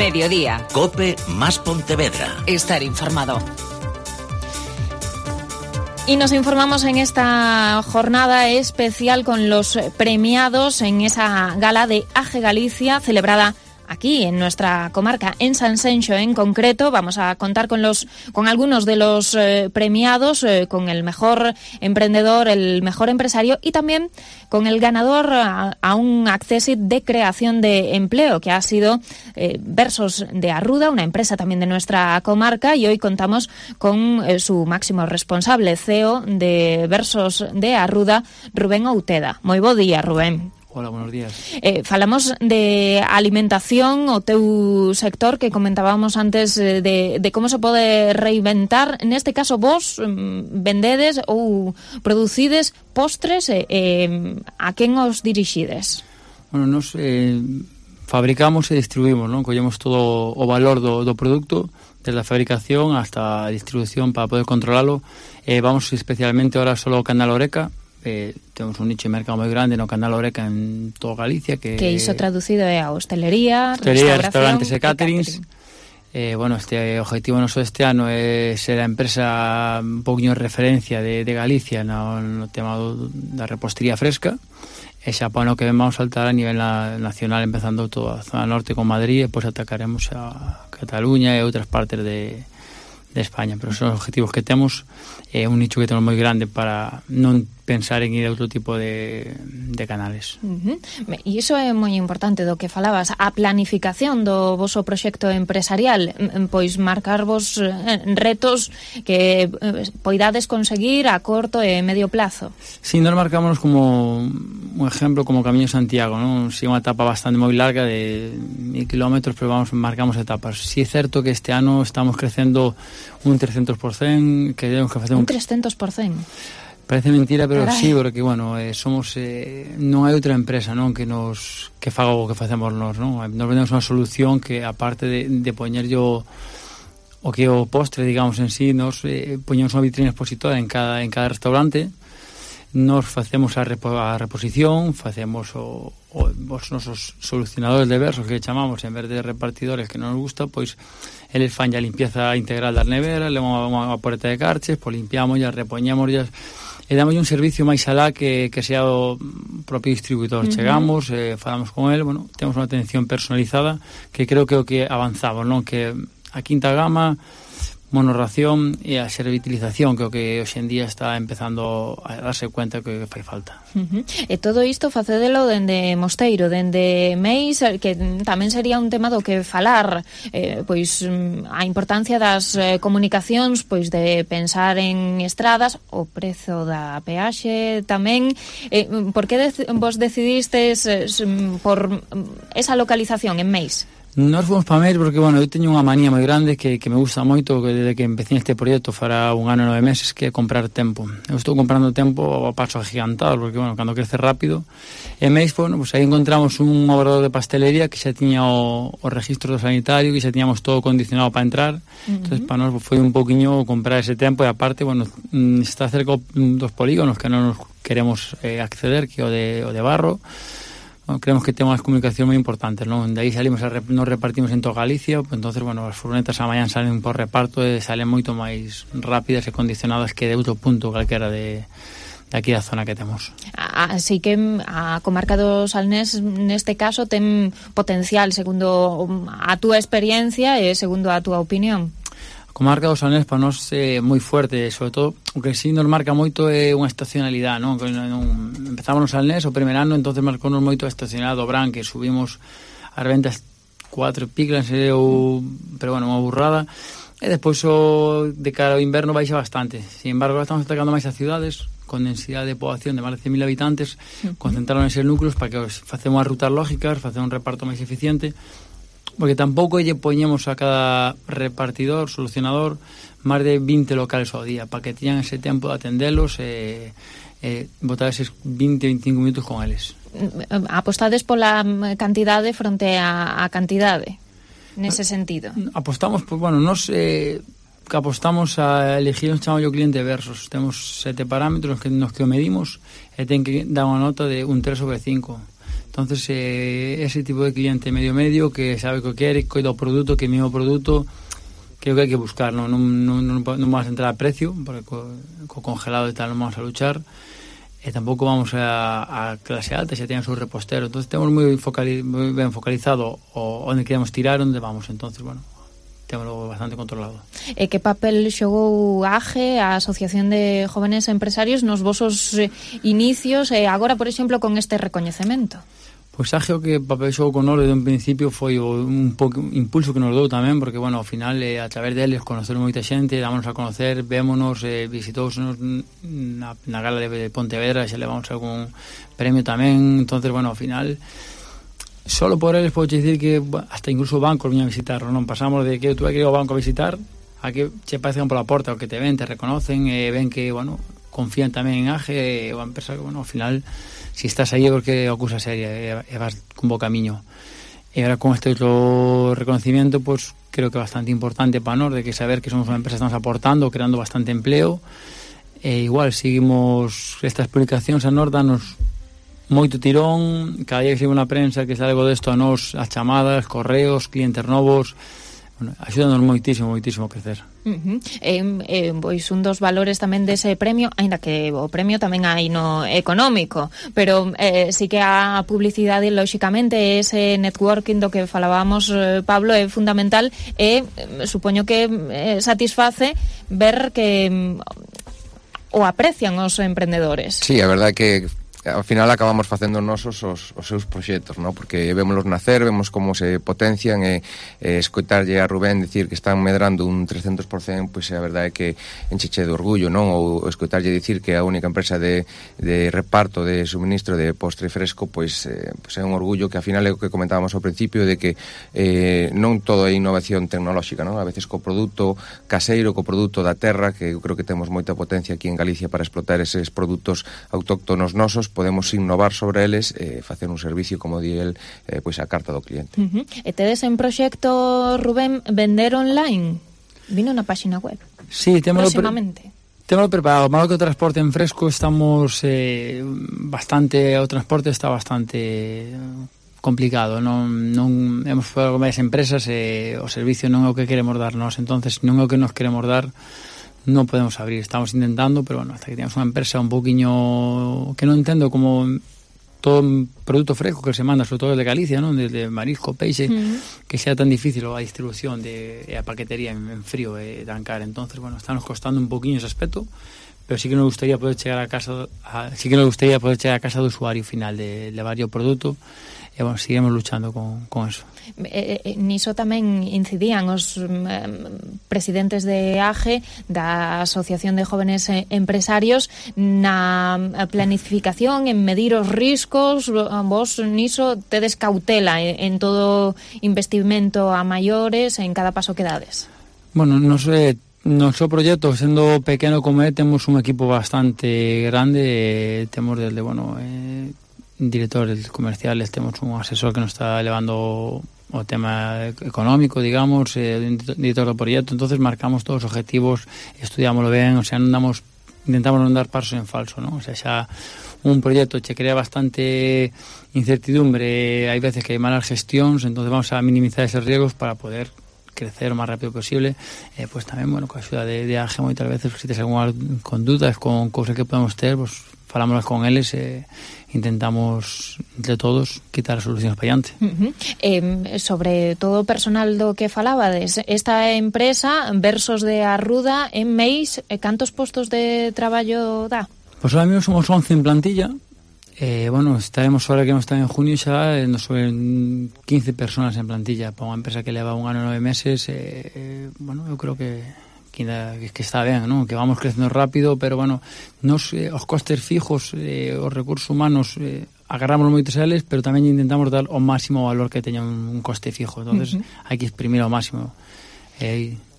Mediodía. COPE más Pontevedra. Estar informado. Y nos informamos en esta jornada especial con los premiados en esa gala de AGE Galicia celebrada aquí en nuestra comarca, en Sanxenxo en concreto. Vamos a contar con algunos de los premiados, con el mejor emprendedor, el mejor empresario y también con el ganador a un Accessit de creación de empleo, que ha sido Versos de Arruda, una empresa también de nuestra comarca, y hoy contamos con su máximo responsable, CEO de Versos de Arruda, Rubén Outeda. Moi bo día, Rubén. Hola, buenos días. Falamos de alimentación, o teu sector, que comentábamos antes de como se pode reinventar. Neste caso, vos vendedes ou producides postres, a quen os dirixides? Bueno, nos fabricamos e distribuimos, non? Collemos todo o valor do produto, desde a fabricación hasta a distribución para poder controlalo. Vamos especialmente ahora solo ao Canal Oreca. Temos un nicho de mercado moi grande no Canal Oreca en toda Galicia, que iso traducido é a hostelería, restaurantes e caterings. Bueno, este objetivo noso este ano é ser a empresa un poquinho de referencia de Galicia no tema da repostería fresca, e xa para o que vamos saltar a nivel nacional, empezando toda a zona norte con Madrid, e depois atacaremos a Cataluña e outras partes de España. Pero son os objetivos que temos, un nicho que temos moi grande para non pensar en ir a outro tipo de canales. E iso é moi importante do que falabas, a planificación do voso proxecto empresarial, pois marcarvos retos que poidades conseguir a corto e medio plazo. Si, nós marcámonos como un ejemplo como Camiño Santiago, non? Si, unha etapa bastante moi larga de 1000 kilómetros, pero marcamos etapas. Si é certo que este ano estamos crecendo un 300%, que temos que facer un 300%. Parece mentira, pero sí, porque, bueno, somos non hai outra empresa, non, que faga o que facemos nós, non? Nos vendemos unha solución que, aparte de poñerllo o que o postre, digamos, en sí, nos poñemos unha vitrina expositora en cada restaurante. Nos facemos a reposición, facemos os nosos solucionadores de versos, que chamamos, en vez de repartidores que non nos gusta, pois eles fan a limpieza integral das neveras, levamos unha poreta de carches, pois limpiamos e repoñemos e damos un servicio máis alá que sea o propio distribuidor. Chegamos, falamos con el, bueno, temos unha atención personalizada, que creo que é o que avanzamos, non? Que a quinta gama, monorración e a servitilización, que é o que hoxe en día está empezando a darse cuenta que fai falta. E todo isto facédelo dende Mosteiro, dende Meis, que tamén sería un tema do que falar, pois a importancia das comunicacións, pois de pensar en estradas, o prezo da peaxe tamén. Por que vos decidistes por esa localización en Meis? Nós fomos para Meis porque, bueno, eu teño unha manía moi grande que me gusta moito, que desde que empecé este proxecto fará 1 ano e 9 meses, que é comprar tempo. Eu estou comprando tempo a paso agigantado, porque, bueno, cando crece rápido. E Meis, bueno, pues aí encontramos un obrador de pastelería que xa tiña o registro do sanitario, que xa tiñamos todo condicionado para entrar. Entonces, para nós foi un poquinho comprar ese tempo, e aparte, bueno, está cerca dos polígonos que non nos queremos acceder, que o de Barro. Creemos que temos comunicación moi importantes, non? De aí salimos, nos repartimos en toda Galicia, pues entonces, bueno, as furgonetas a mañan salen por reparto e salen moito máis rápidas e condicionadas que de outro punto calquera de aquí da zona que temos. Así que a comarca do Salnés neste caso ten potencial, segundo a túa experiencia e segundo a túa opinión. A comarca do Salnés para nós é moi fuerte, sobre todo o que sí nos marca moito é unha estacionalidade, non? Empezamos no Salnés o primer ano, entonces marcounos moito a estacionalidade do Bran, que subimos as ventas 4 piclas, pero bueno, unha burrada, e despois de cara ao inverno baixa bastante. Sin embargo, estamos atacando máis as cidades con densidade de poboación de máis de 100.000 habitantes, concentraron eses núcleos para que facemos as rutas lógicas, facemos un reparto máis eficiente, porque tampouco lle poñemos a cada repartidor, solucionador, máis de 20 locales ao día, para que teñan ese tempo de atendelos e botar eses 20-25 minutos con eles. Apostades pola cantidade fronte a cantidade, nese sentido? Apostamos, pues, bueno, nos que apostamos a elegir un chamo cliente Versos. Temos 7 parámetros nos que o medimos e ten que dar unha nota de un 3/5. Entonces, ese tipo de cliente medio que sabe o que quere, coida o produto, que é o mesmo produto, creo que hai que buscar, non vamos a entrar a precio, porque co congelado e tal non vamos a luchar, e tampouco vamos a clase alta, xa teñen o seu repostero. Entonces, temos moi ben focalizado onde queremos tirar, onde vamos. Entonces, bueno, temos bastante controlado. E que papel xogou a AGE, a Asociación de Jóvenes Empresarios, nos vosos inicios, e agora, por exemplo, con este recoñecemento? Pois AGE o que papel xogou con nós desde un principio foi un pouco impulso que nos dou tamén, porque, bueno, ao final, a través deles, conocer moita xente, dámonos a conocer, vémonos, visitousenos na gala de Pontevedra, xa levamos algún premio tamén. Entonces, bueno, ao final, solo por eles podo dicir que hasta incluso bancos viñan a visitar, non pasamos de que tú vai que ir ao banco a visitar a que che parecen pola porta o que te ven, te reconocen, ven que, bueno, confían tamén en AGE, ou a empresa que, bueno, ao final, si estás aí é porque é cousa seria e vas con bo camiño. E agora con este outro reconocimiento, pues creo que é bastante importante para nós, de que saber que somos unha empresa que estamos aportando, creando bastante empleo, e igual seguimos estas publicacións a nós, danos moito tirón, cada día que sigo na prensa que sale algo desto a nós, as chamadas, correos, clientes novos, bueno, axúdanos moitísimo a crecer. Pois un dos valores tamén dese premio, aínda que o premio tamén hai no económico, pero sí que a publicidade, lóxicamente, ese networking do que falábamos, Pablo, é fundamental, e supoño que satisface ver que o aprecian os emprendedores. Sí, a verdade é que ao final acabamos facendo nosos os seus proxectos, ¿no? Porque vémoslos nacer, vemos como se potencian, e escoitarlle a Rubén dicir que están medrando un 300%, pois a verdade é que encheche de orgullo, non? Ou escoitarlle dicir que a única empresa de reparto de suministro de postre fresco, pois é un orgullo, que ao final é o que comentábamos ao principio, de que non todo é innovación tecnolóxica, non? A veces co produto caseiro, co produto da terra, que eu creo que temos moita potencia aquí en Galicia para explotar eses produtos autóctonos nosos, podemos innovar sobre eles e facer un servicio, como di el, pois a carta do cliente. E tedes en proxecto, Rubén, vender online? Vino na páxina web. Sí, próximamente. Temos preparado. Malo que o transporte en fresco estamos bastante, o transporte está bastante complicado, non hemos falado con varias empresas e o servicio non é o que queremos dar nós, entonces non é o que nos queremos dar, non podemos abrir, estamos intentando, pero bueno, hasta que tengamos unha empresa un poquinho que non entendo como todo produto fresco que se manda, sobre todo de Galicia, non? Desde marisco, peixe, que sea tan difícil a distribución e a paquetería en frío e trancar. Entonces, bueno, está nos costando un poquinho ese aspecto, pero sí que nos gustaría poder chegar a casa do usuario final, de levar o produto. E, bueno, seguimos luchando con eso. Niso tamén incidían os presidentes de AGE, da Asociación de Jóvenes Empresarios, na planificación, en medir os riscos. Vos niso tedes cautela en todo investimento a maiores, en cada paso que dades. Bueno, non sei. Noso proxecto, sendo pequeno como é, temos un equipo bastante grande, temos desde, bueno, directores comerciales, temos un asesor que nos está levando o tema económico, digamos, director do proxecto. Entonces marcamos todos os objetivos, estudiámoslo ben, o sea, intentamos non dar pasos en falso, ¿no? O sea, xa un proxecto che crea bastante incertidumbre, hai veces que hai malas gestións, entonces vamos a minimizar esos riesgos para poder crecer o máis rápido posible. Pues tamén, bueno, con a axuda de AGE, moitas veces, se tes algunha con dudas, con cousas que podemos ter, pues falámoslas con eles e intentamos entre todos quitar as solucións para diante. Sobre todo o personal do que falabades, esta empresa Versos de Arruda, en MEIS, cantos postos de traballo dá? Pois ahora mesmo somos 11 en plantilla. Bueno, estaremos ahora que non está en junio xa, nos suben 15 personas en plantilla para unha empresa que leva 1 ano e 9 meses. Bueno, eu creo que está ben, ¿no? Que vamos crecendo rápido, pero bueno, os costes fijos, os recursos humanos, agarramos moitos a eles, pero tamén intentamos dar o máximo valor que teña un coste fijo, entonces hai que exprimir ao máximo.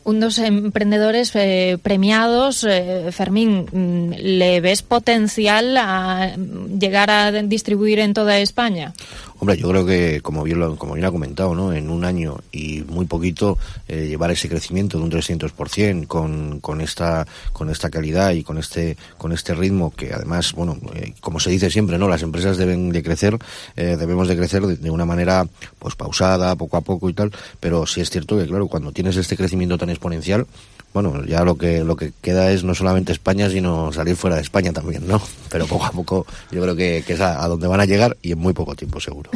Un dos emprendedores premiados, Fermín, ¿le ves potencial a llegar a distribuir en toda España? Hombre, yo creo que, como bien ha comentado, ¿no? En un año y muy poquito, llevar ese crecimiento de un 300% con esta calidad y con este ritmo, que además, bueno, como se dice siempre, ¿no? Las empresas debemos de crecer de una manera, pues, pausada, poco a poco y tal, pero sí es cierto que, claro, cuando tienes este crecimiento tan exponencial, bueno, ya lo que queda es no solamente España, sino salir fuera de España también, ¿no? Pero poco a poco yo creo que es a donde van a llegar, y en muy poco tiempo, seguro.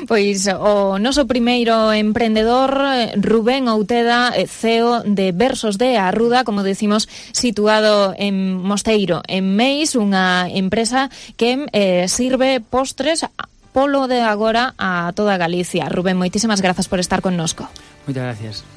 Pois o noso primeiro emprendedor, Rubén Outeda, CEO de Versos de Arruda, como decimos, situado en Mosteiro, en Meis, unha empresa que sirve postres polo de agora a toda Galicia. Rubén, moitísimas grazas por estar connosco. Moitas gracias.